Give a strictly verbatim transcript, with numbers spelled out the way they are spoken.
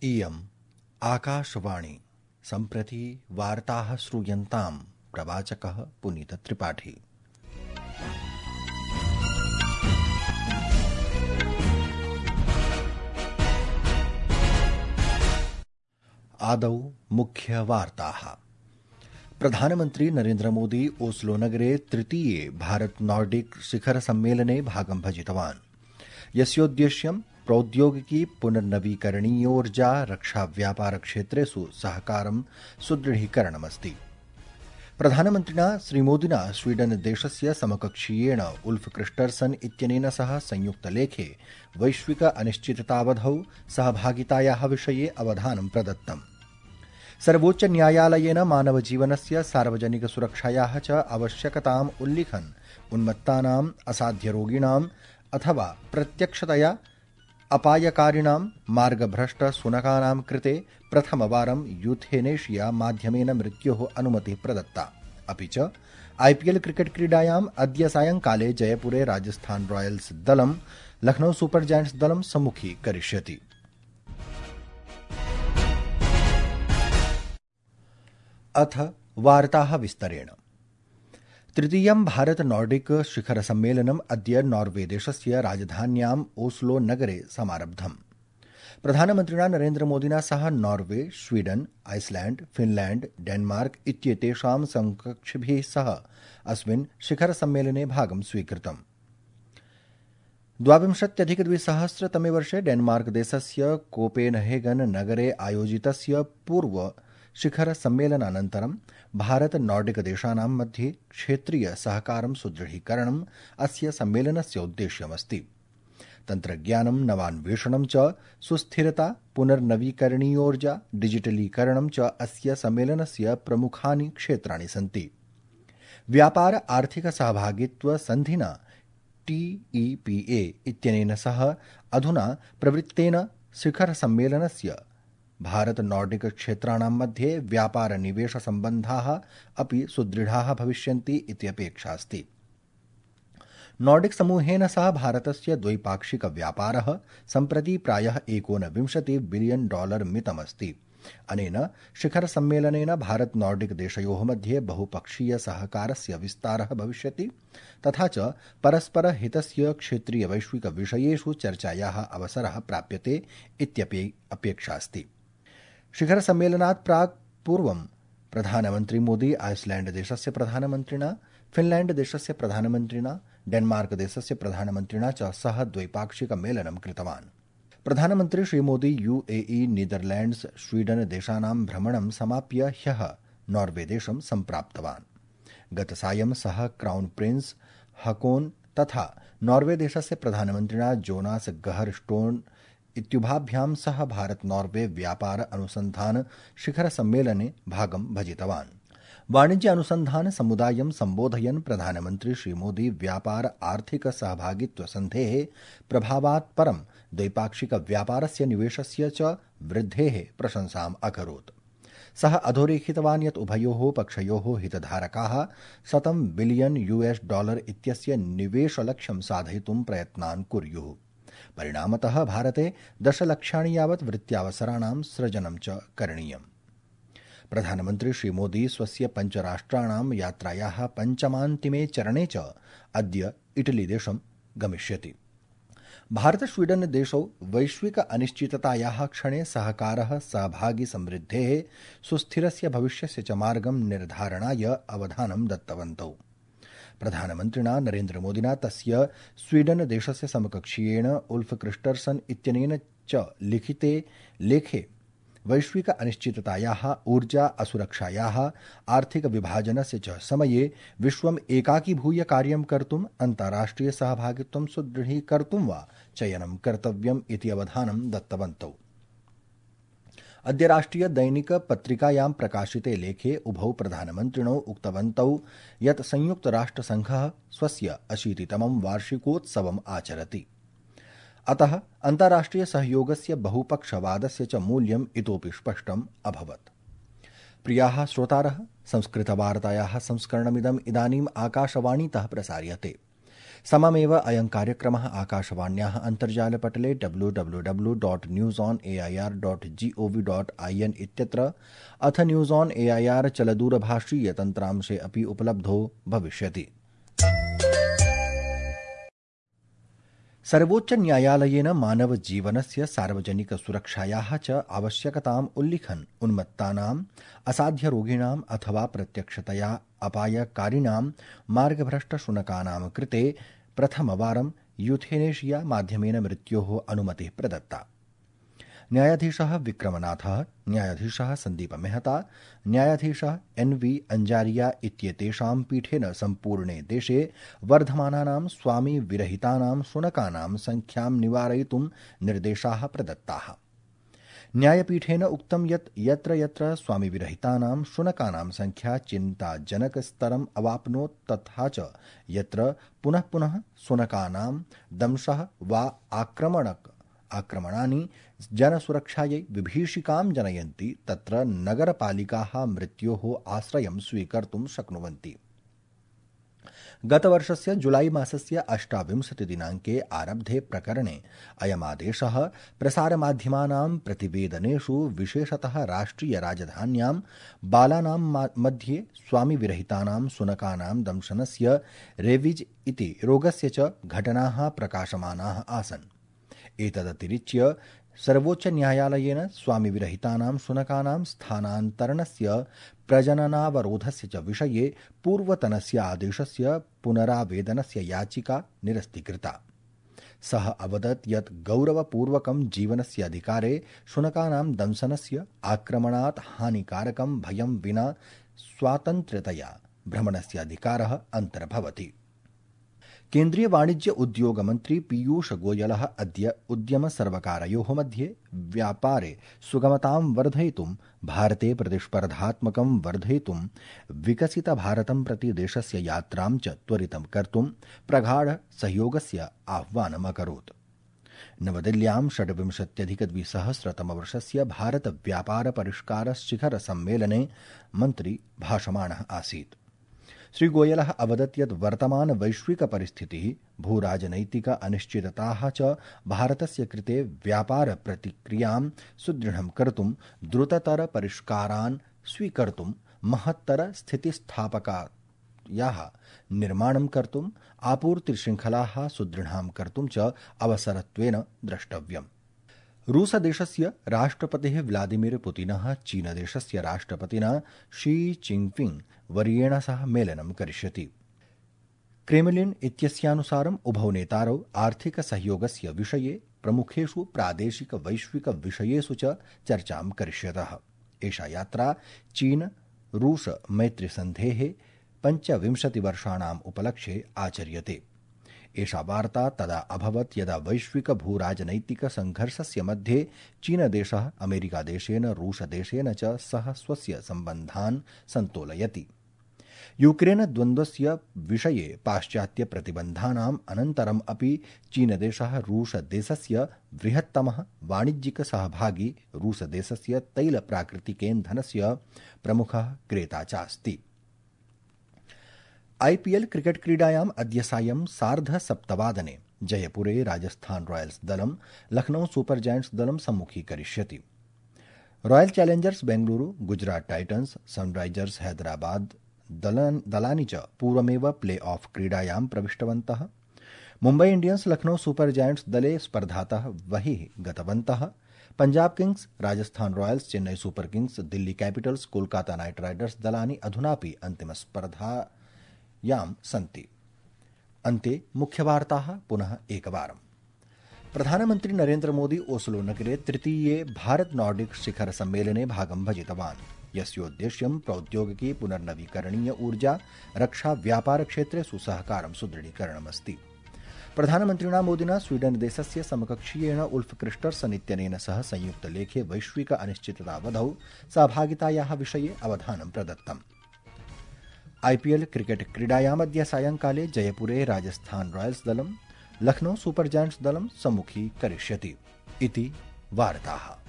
इयम् आकाशवाणी सम्प्रति वार्ताः श्रूयन्ताम् प्रवाचकः पुनीतत्रिपाठी। आदौ मुख्यवार्ताः। प्रधानमन्त्री नरेन्द्र मोदी ओस्लो नगरे तृतीये भारत नॉर्डिक शिखर सम्मेलने भागं भजितवान्, यस्योद्देश्यं प्रौद्योगिकी पुनर्नवीकरणीयोर्जा रक्षा व्यापार क्षेत्रेषु सहकारं सुदृढीकरणमस्ति। प्रधानमन्त्रिणा श्रीमोदिना स्वीडन देशस्य समकक्षीयेण उल्फ क्रिस्टर्सन इत्यनेन सह संयुक्तलेखे वैश्विक अनिश्चिततावधौ सहभागितायाः विषये अवधानं प्रदत्तम्। सर्वोच्च न्यायालयेन मानवजीवनस्य सार्वजनिक सुरक्षायाः च आवश्यकताम् उल्लिखन् उन्मत्तानाम् असाध्यरोगिणाम् अथवा प्रत्यक्षतया अपायकारिणां मार्गभ्रष्ट शुनकानां कृते प्रथमवारं यूथेनेशिया माध्यमेन मृत्योः अनुमतिः प्रदत्ता। अपि च आईपीएल क्रिकेट क्रीडायाम् अद्य सायंकाले जयपुरे राजस्थान रॉयल्स दलं लखनऊ सुपर जायंट्स दलं सम्मुखीकरिष्यति। अथ वार्ताः विस्तरेण। तृतीयं भारत नॉर्डिक शिखर सम्मेलनम् अद्य नॉर्वे देशस्य राजधान्याम् ओस्लो नगरे समारब्धम्। प्रधानमन्त्रिणा नरेन्द्र मोदिना सह Norway, Sweden, Iceland, Finland, Denmark इत्येतेषां समकक्षिभिः सह अस्मिन् शिखर सम्मेलने भागं स्वीकृतम्। द्वाविंशत्यधिकद्विसहस्रतमे वर्षे डेनमार्क देशस्य कोपेनहेगन नगरे आयोजितस्य पूर्व शिखर सम्मेलनानन्तरं भारत नॉर्डिक देशानां मध्ये क्षेत्रीय सहकारं सुदृढीकरणम् अस्य सम्मेलनस्य उद्देश्यमस्ति। तन्त्रज्ञानं, नवान्वेषणं च, सुस्थिरता, पुनर्नवीकरणीयोर्जा, डिजिटलीकरणं च अस्य सम्मेलनस्य प्रमुखानि क्षेत्राणि सन्ति। व्यापार आर्थिक सहभागित्व सन्धिना टीईपीए इत्यनेन सह अधुना प्रवृत्तेन शिखर सम्मेलनस्य भारत नॉर्डिक क्षेत्राणां मध्ये व्यापार निवेश सम्बन्धाः अपि सुदृढाः भविष्यन्ति इति अपेक्षा अस्ति। नॉर्डिक समूहेन सह भारतस्य द्वैपाक्षिक व्यापारः सम्प्रति प्रायः एकोनविंशति बिलियन डॉलर मितमस्ति। अनेन शिखर सम्मेलनेन भारत नॉर्डिक देशयोः मध्ये बहुपक्षीय सहकारस्य विस्तारः भविष्यति, तथा च परस्पर हितस्य क्षेत्रीय वैश्विक विषयेषु चर्चायाः अवसरः प्राप्यते इत्यपि अपेक्षा अस्ति। शिखर सम्मेलनात् प्राक् पूर्वं प्रधानमन्त्री मोदी आइसलैंड देशस्य प्रधानमन्त्रिणा, फिनलैंड देशस्य प्रधानमन्त्रिणा, डेनमार्क देशस्य प्रधानमन्त्रिणा च सह द्वैपाक्षिक मेलनं कृतवान्। प्रधानमन्त्री श्रीमोदी यूएई, नीदरलैंड्स, स्वीडन देशानां भ्रमणं समाप्य ह्यः नॉर्वे देशं सम्प्राप्तवान्। गतसायं सः क्राउन प्रिंस हकोन तथा नॉर्वे देशस्य प्रधानमन्त्रिणा जोनास गहर स्टोन इत्युभाभ्यां सह भारत नॉर्वे व्यापार अनुसंधान शिखर सम्मेलने भागं भजितवान्। वाणिज्य अनुसंधान समुदायं सम्बोधयन् प्रधानमन्त्री श्रीमोदी व्यापार आर्थिक सहभागित्व सन्धेः प्रभावात् परं द्वैपाक्षिक व्यापारस्य निवेशस्य च वृद्धेः प्रशंसाम् अकरोत्। सः अधोरेखितवान् यत् उभयोः पक्षयोः हितधारकाः शतं बिलियन यूएस डॉलर इत्यस्य निवेशलक्ष्यं साधयितुं प्रयत्नान् कुर्युः। परिणामतः भारते दशलक्षाणि यावत् वृत्त्यावसराणां सृजनं च करणीयम्। प्रधानमन्त्री श्रीमोदी स्वस्य पञ्चराष्ट्राणां यात्रायाः पञ्चमान्तिमे चरणे च अद्य इटलीदेशं गमिष्यति। भारत स्वीडन देशौ वैश्विक अनिश्चिततायाः क्षणे सहकारः सहभागी समृद्धेः सुस्थिरस्य भविष्यस्य च मार्गं निर्धारणाय अवधानं दत्तवन्तौ। प्रधानमन्त्रिणा नरेन्द्र मोदिना तस्य स्वीडन देशस्य समकक्षीयेण उल्फ क्रिस्टर्सन इत्यनेन च लिखिते लेखे वैश्विक अनिश्चिततायाः, ऊर्जा असुरक्षायाः, आर्थिक विभाजनस्य च समये विश्वम् एकाकीभूय कार्यं कर्तुम् अन्ताराष्ट्रिय सहभागित्वं सुदृढीकर्तुं वा चयनं कर्तव्यम् इति अवधानं दत्तवन्तौ। अद्य राष्ट्रिय दैनिक पत्रिकायां प्रकाशिते लेखे उभौ प्रधानमन्त्रिणौ उक्तवन्तौ यत् संयुक्त राष्ट्रसङ्घः स्वस्य अशीतितमं वार्षिकोत्सवम् आचरति। अतः अन्ताराष्ट्रिय सहयोगस्य बहुपक्षवादस्य च मूल्यम् इतोपि स्पष्टम् अभवत्। प्रियाः श्रोतारः, संस्कृतवार्तायाः संस्करणमिदम् इदानीम् आकाशवाणीतः प्रसार्यते। सममेव अयं कार्यक्रमः आकाशवाण्याः अन्तर्जालपटले W W W dot news on A I R dot G O V dot I N इत्यत्र अथ news on A I R चलदूरभाषीयतन्त्रांशे अपि उपलब्धो भविष्यति। सर्वोच्च न्यायालयेन मानव जीवनस्य सार्वजनिक सुरक्षायाः च आवश्यकताम् उल्लिखन् उन्मत्तानाम् असाध्यरोगिणाम् अथवा प्रत्यक्षतया अपायकारिणां मार्गभ्रष्टशुनकानां कृते प्रथमवारं यूथेनेशिया माध्यमेन मृत्योः अनुमतिः प्रदत्ता। न्यायाधीशः विक्रमनाथः, न्यायाधीशः सन्दीप मेहता, न्यायाधीशः एन् वी अंजारिया इत्येतेषां पीठेन सम्पूर्णे देशे वर्धमानानां स्वामी विरहितानां शुनकानां संख्यां निवारयितुं निर्देशाः प्रदत्ताः। न्यायपीठेन उक्तं यत् यत्र यत्र स्वामी विरहितानां शुनकानां संख्या चिन्ताजनकस्तरम् अवाप्नोत् तथा च यत्र पुनः पुनः शुनकानां दंशः वा आक्रमणक आक्रमणानि जनसुरक्षायै विभीषिकां जनयन्ति तत्र नगरपालिकाः मृत्योः आश्रयं स्वीकर्तुं शक्नुवन्ति। गतवर्षस्य जुलाई मासस्य अष्टाविंशतिदिनाङ्के आरब्धे प्रकरणे अयमादेशः प्रसारमाध्यमानां प्रतिवेदनेषु विशेषतः राष्ट्रियराजधान्यां बालानां मध्ये स्वामिविरहितानां शुनकानां दंशनस्य रेविज इति रोगस्य च घटनाः प्रकाशमानाः आसन्। एतदतिरिच्य सर्वोच्चन्यायालयेन स्वामिविरहितानां शुनकानां स्थानान्तरणस्य प्रजननावरोधस्य च विषये पूर्वतनस्य आदेशस्य पुनरावेदनस्य याचिका निरस्तीकृता। सः अवदत् यत् गौरवपूर्वकं जीवनस्य अधिकारे शुनकानां दंशनस्य आक्रमणात् हानिकारकं भयं विना स्वातन्त्र्यतया भ्रमणस्य अधिकारः अन्तर्भवति। केन्द्रीय वाणिज्य उद्योग मन्त्री पीयूष गोयलः अद्य उद्यमसर्वकारयोः मध्ये व्यापारे सुगमतां वर्धयितुं भारते प्रतिस्पर्धात्मकं वर्धयितुं विकसितभारतं प्रति देशस्य यात्रां च त्वरितं कर्तुं प्रगाढ सहयोगस्य आह्वानम् अकरोत्। नवदिल्ल्यां षड्विंशत्यधिकद्विसहस्रतमवर्षस्य भारत व्यापार परिष्कार शिखर सम्मेलने मन्त्री भाषमाणः आसीत्। श्रीगोयलः अवदत् यत् वर्तमान वैश्विक परिस्थितिः भूराजनैतिक अनिश्चितताः च भारतस्य कृते व्यापार प्रतिक्रियां सुदृढं कर्तुं द्रुततर परिष्कारान् स्वीकर्तुं महत्तर स्थितिस्थापकायाः निर्माणं कर्तुं आपूर्तिशृङ्खलाः सुदृढां कर्तुं च अवसरत्वेन द्रष्टव्यम्। रूसदेशस्य राष्ट्रपतिः व्लादिमीर पुतिनः चीनदेशस्य राष्ट्रपतिना शी चिनपिंग वर्येण सह मेलनं करिष्यति। क्रेमलिन इत्यस्यानुसारम् उभौ नेतारौ आर्थिकसहयोगस्य विषये प्रमुखेषु प्रादेशिक वैश्विक विषयेषु च चर्चां करिष्यतः। एषा यात्रा चीन रूस मैत्रीसन्धेः पञ्चविंशतिवर्षाणाम् उपलक्ष्ये आचर्यते। एषा वार्ता तदा अभवत् यदा वैश्विक भूराजनैतिक संघर्षस्य मध्ये चीनदेशः अमेरिकादेशेन रूसदेशेन च सह स्वस्य सम्बन्धान् सन्तोलयति। यूक्रेन द्वन्द्वस्य विषये पाश्चात्य प्रतिबन्धानाम् अनन्तरम् अपि चीनदेशः रूसदेशस्य बृहत्तमः वाणिज्यिक सहभागी रूसदेशस्य तैल प्राकृतिकेन्धनस्य प्रमुखः क्रेता चास्ति। आईपीएल क्रिकेट क्रीडायाम् अद्य सायं सार्धसप्तवादने जयपुरे राजस्थान रॉयल्स दलं लखनऊ सुपर जायंट्स दलं सम्मुखीकरिष्यति। Royal Challengers Bengaluru, Gujarat Titans, Sunrisers Hyderabad दलानि च पूर्वमेव प्ले ऑफ क्रीडायां प्रविष्टवन्तः। Mumbai Indians Lucknow Super Giants दले स्पर्धातः बहिः गतवन्तः। Punjab Kings, Rajasthan Royals, Chennai Super Kings, Delhi Capitals, Kolkata Knight Riders दलानि अधुनापि अन्तिमस्पर्धा यां सन्ति। अन्ते मुख्यवार्ताः पुनः एकवारम्। प्रधानमन्त्री नरेन्द्र मोदी ओस्लो नगरे तृतीये भारत नॉर्डिक शिखर सम्मेलने भागं भजितवान्, यस्योद्देश्यं प्रौद्योगिकी, पुनर्नवीकरणीय ऊर्जा, रक्षा, व्यापार क्षेत्रेषु सहकारं सुदृढीकरणमस्ति। प्रधानमन्त्रिणा मोदिना स्वीडन देशस्य समकक्षीयेण उल्फ क्रिस्टर्सन इत्यनेन सह संयुक्तलेखे वैश्विक अनिश्चिततावधौ सहभागितायाः विषये अवधानं प्रदत्तम्। आईपीएल क्रिकेट क्रीडायामद्य सायंकाले जयपुरे राजस्थान रॉयल्स दलं लखनऊ सुपर जायंट्स दलं सम्मुखीकरिष्यति इति वार्ताः।